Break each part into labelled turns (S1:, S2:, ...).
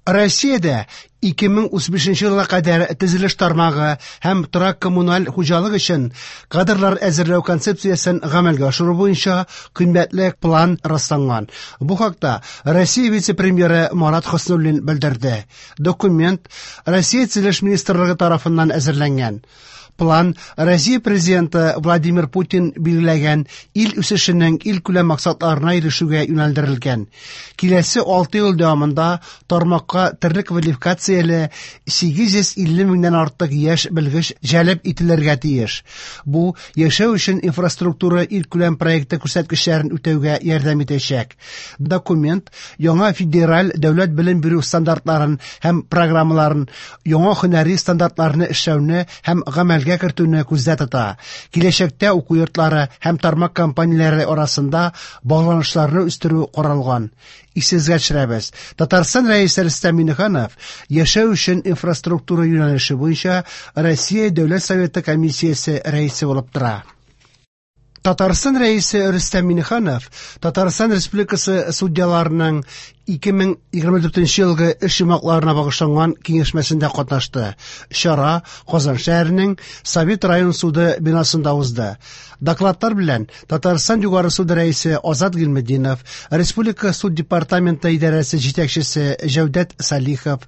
S1: Россиядә 2035 елга кадәр төзелеш тармагы һәм торак-коммуналь хуҗалык өчен кадрлар әзерләү концепциясен гамәлгә ашыру буенча кыйммәтле план расланган. Бу хакта Россия вице-премьеры Марат Хөснуллин белдерде. Документ Россия төзелеш министрлыгы тарафыннан әзерләнгән. План Россия президенты Владимир Путин билгеләгән ил үсешенең илкүләм максатларына ирешүгә юнәлдерелгән. Киләсе 6 ел дәвамында тармакка төрле квалификацияле 850 меңнән артык яшь белгеч җәлеп ителергә тиеш. Бу яшәү өчен инфраструктура илкүләм проекты күрсәткечләрен үтәүгә ярдәм итәчәк. Документ яңа федераль дәүләт белем бирү стандартларын һәм программаларын, яңа һөнәри стандартларны эшләүне һәм гамәлгә кертүне күздә тота. Киләчәктә уку йортлары һәм тармак компанияләре арасында багланышларны үстерү каралган. Исегезгә төшерәбез. Татарстан Рәисе Рөстәм Миңнеханов яшәү өчен инфраструктура юнәлеше буенча Россия Дәүләт Советы комиссиясе рәисе булып тора. Татарстан Рәисе Рөстәм Миңнеханов Татарстан Республикасы судьяларының 2024 елгы эш йомгакларына багышланган киңәшмәсендә катнашты. Чара Казан шәһәренең Совет район суды бинасында узды. Докладлар белән Татарстан Югары суды рәисе Азат Гыйльметдинов, Республика суд департаменты идарәсе җитәкчесе Җәүдәт Салихов,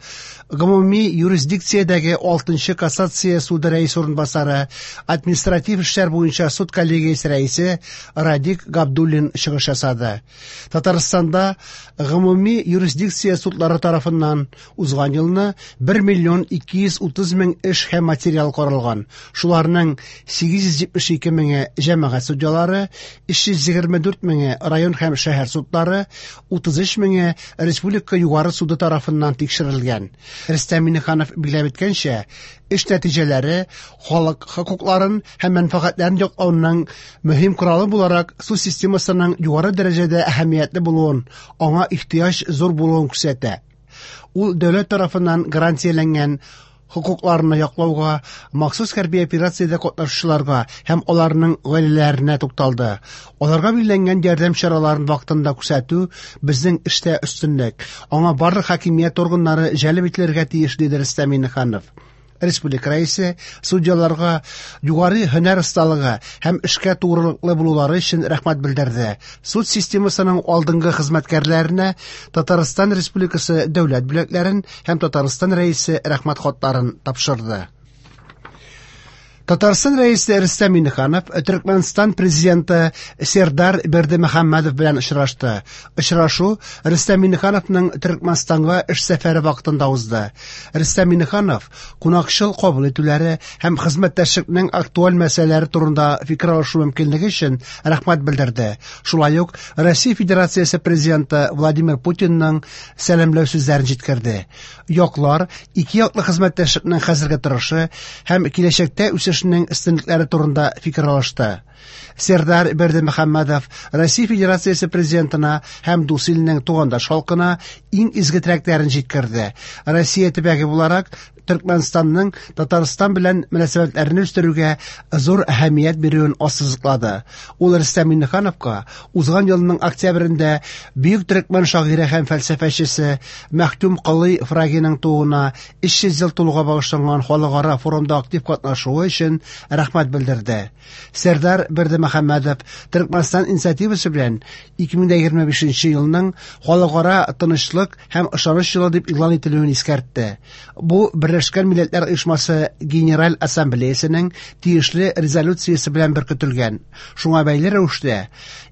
S1: гомуми юрисдикциядәге 6 кассация суды рәисе урынбасары, административ эшләр буенча суд коллегиясе рәисе Радик Габдуллин чыгыш ясады. Татарстанда гомуми юрисдикция судлары тарафыннан узган елны 1 миллион 230 мең эш һәм материал каралган. Шуларның 872 меңе җәмәгать судьялары, 324 меңе район һәм шәһәр судлары, 33 меңе республика югары суды тарафыннан тикшерелгән. Рөстәм Миңнеханов билгеләп үткәнчә, эш нәтиҗәләре халык хокукларын һәм мәнфәгатьләрен яклауның мөһим коралы буларак суд системасының югары дәрәҗәдә әһәмиятле булуын, аңа ихтыяҗ зур булуын күрсәтә. Ул дәүләт тарафыннан гарантияләнгән хокукларны яклауга, махсус хәрби операциядә катнашучыларга һәм аларның гаиләләренә тукталды. Аларга билгеләнгән ярдәм чараларын вакытында күрсәтү безнең эштә өстенлек. Аңа барлык хакимият органнары җәлеп ителергә тиеш, диде Рөстәм Миңнеханов. Республика рәисе судьяларга югары һөнәр осталыгы һәм эшкә тугрылыклы булулары өчен рәхмәт белдерде. Суд системасының алдынгы хезмәткәрләренә Татарстан Республикасы дәүләт бүләкләрен һәм Татарстан Рәисе рәхмәт хатларын тапшырды. Татарстан Рәисе Рөстәм Миңнеханов Төркмәнстан президенты Сердар Бердымөхәммәдов белән очрашты. Очрашу Рөстәм Миңнехановның Төркмәнстанга эш сәфәре вакытында узды. Рөстәм Миңнеханов кунакчыл кабул итүләре һәм хезмәттәшлекнең актуаль мәсьәләләре турында фикер алышу мөмкинлеге өчен рәхмәт белдерде. Шулай ук Россия Федерациясе президенты Владимир Путинның сәламләү сүзләрен җиткерде. Яклар ике яклы хезмәттәшлекнең хәзерге торышы һәм киләчәктә үсешенең өстенлекләре турында фикер алышты. Сердар Бердымөхәммәдов Россия Федерациясе президентына һәм дус илнең тугандаш халкына иң изге теләкләрен җиткерде. Россия төбәге буларак Төркмәнстанның Татарстан белән мөнәсәбәтләрне үстерүгә зур әһәмият бирүен ассызыклады. Ул Рөстәм Миңнехановка узган елның октябрендә бөек төркмән шагыйре һәм фәлсәфәчесе Мәхтүм Колый Фрагиның тууына 300 ел тулуга багышланган халыкара форумда актив катнашуы өчен рәхмәт белдерде. Сердар Бердымөхәммәдов Төркмәнстан инициативасы белән 2025 елның халыкара тынычлык һәм ышаныч елы дип игълан ителүен искәртте. Бу Берләшкән Милләтләр Оешмасы Генераль Ассамблеясының тиешле резолюциясе белән беркетелгән. Шуңа бәйле рәвештә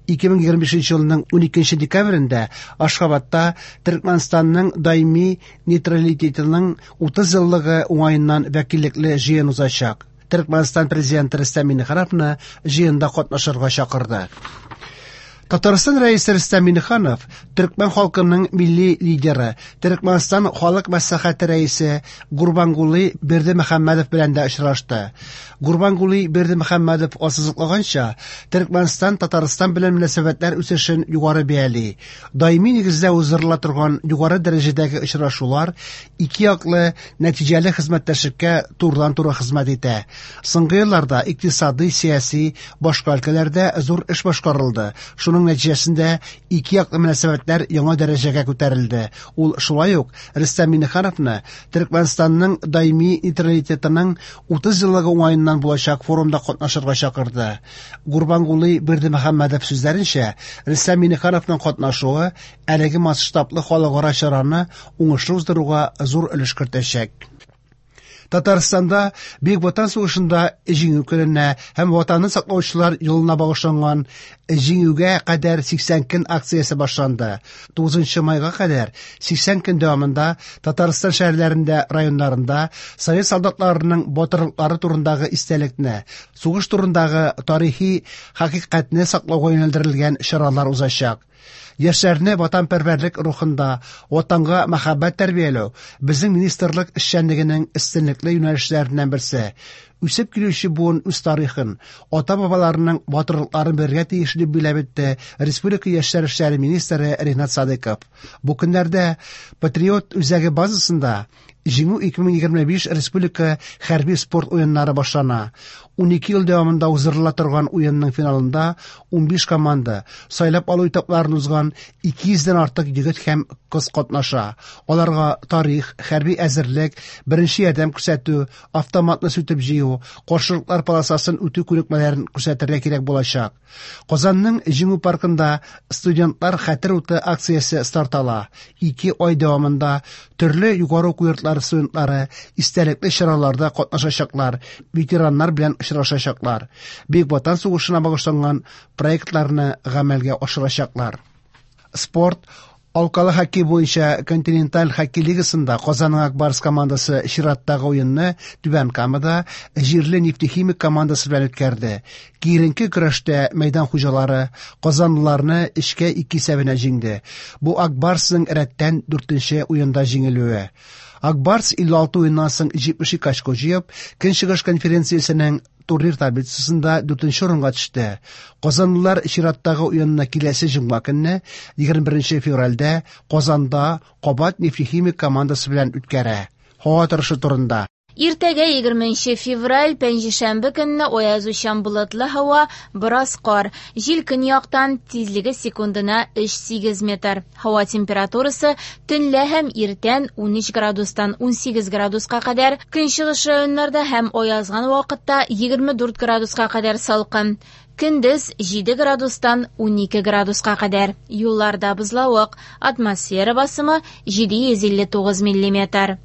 S1: 2025 елның 12 декабрендә Ашхабадта Төркмәнстанның даими нейтралитетының 30 еллыгы уңаеннан вәкиллекле җыен узачак. Төркмәнстан президенты Рөстәм Миңнехановны җыенда катнашырга чакырды. Татарстан Рәисе Рөстәм Миңнеханов төркмән халкының милли лидеры, Төркмәнстан халык мәслихәте рәисе Гурбангулы Бердымөхәммәдов белән дә очрашты. Гурбангулы Бердымөхәммәдов ассызыклаганча, Төркмәнстан Татарстан белән мөнәсәбәтләр үсешен югары бәяли. Даими нигездә уздырыла торган югары дәрәҗәдәге очрашулар ике яклы нәтиҗәле хезмәттәшлеккә турыдан-туры хезмәт итә. Соңгы елларда икътисадый, сәяси, башка өлкәләрдә зур эш башкарылды. Шуның Шуның нәтиҗәсендә ике яклы мөнәсәбәтләр яңа дәрәҗәгә күтәрелде. Ул шулай ук Рөстәм Миңнехановны Төркмәнстанның даими нейтралитетының 30 еллыгы уңаеннан булачак форумда катнашырга чакырды. Гурбангулы Бердымөхәммәдов сүзләренчә, Рөстәм Миңнехановның катнашуы әлеге масштаблы халыкара чараны уңышлы уздыруга зур өлеш кертәчәк. Татарстанда Бөек Ватан сугышында Җиңү көненә һәм Ватанны саклаучылар елына багышланган Җиңүгә кадәр 80 көн акциясе башланды. 9 майга кадәр 80 көн дәвамында Татарстан шәһәрләрендә, районнарында совет солдатларының батырлыклары турындагы истәлекне, сугыш турындагы тарихи хакыйкатьне саклауга юнәлдерелгән чаралар узачак. Яшьләрне ватанпәрвәрлек рухында, Ватанга мәхәббәт тәрбияләү безнең министрлык эшчәнлегенең өстенлекле юнәлешләреннән берсе. Үсеп килүче буын үз тарихын, ата-бабаларының батырлыкларын белергә тиеш, дип билгеләп үтте республика яшьләр эшләре министры Ринат Садыйков. Бу көннәрдә Патриот үзәге базасында Җиңү 2025 республика хәрби спорт уеннары башлана. 12 ел дәвамында уздырыла торган уенның финалында 15 команда, сайлап алу этапларын узган 200 дән артык егет һәм кыз катнаша. Аларга тарих, хәрби әзерлек, беренче ярдәм күрсәтү, автоматны сүтеп җыю, каршылыклар полосасын үтү күнекмәләрен күрсәтергә кирәк булачак. Казанның Җиңү паркында студентлар хәтер уты акциясе старт ала. Ике ай дәвамында төрле югары уку йортлары студентлары истәлекле чараларда катнашачаклар, ветераннар белән очрашачаклар, Бөек Ватан сугышына багышланган проектларны гамәлгә ашырачаклар. Спорт Алкалы хоккей буенча континенталь хоккей лигасында Казанның Ак Барс командасы чираттагы уенны Түбән Камада җирле Нефтехимик командасы белән үткәрде. Киеренке көрәштә мәйдан хуҗалары казанлыларны 3-2 исәбенә җиңде. Бу Ак Барсның рәттән дүртенче уенда җиңелүе. Ак Барс 56 уеннан соң 72 очко җыеп, Көнчыгыш конференциясенең турнир таблицасында дүртенче урынга төште. Казанлылар чираттагы уенны киләсе җомга көнне, 21 февральдә Казанда кабат Нефтехимик командасы белән үткәрә. Һава торышы турында.
S2: Иртәгә 20 февраль, пәнҗешәмбе көнне аязучан болытлы һава, бераз кар. Җил көньяктан, тизлеге секундына 3,8 метр. Һава температурасы төнлә һәм иртән 13 градустан 18 градуска кадәр, көнчыгыш районнарда һәм аязган вакытта 24 градуска кадәр салкын. Көндез 7 градустан 12 градуска кадәр. Юлларда бозлавык, атмосфера басымы 759 миллиметр.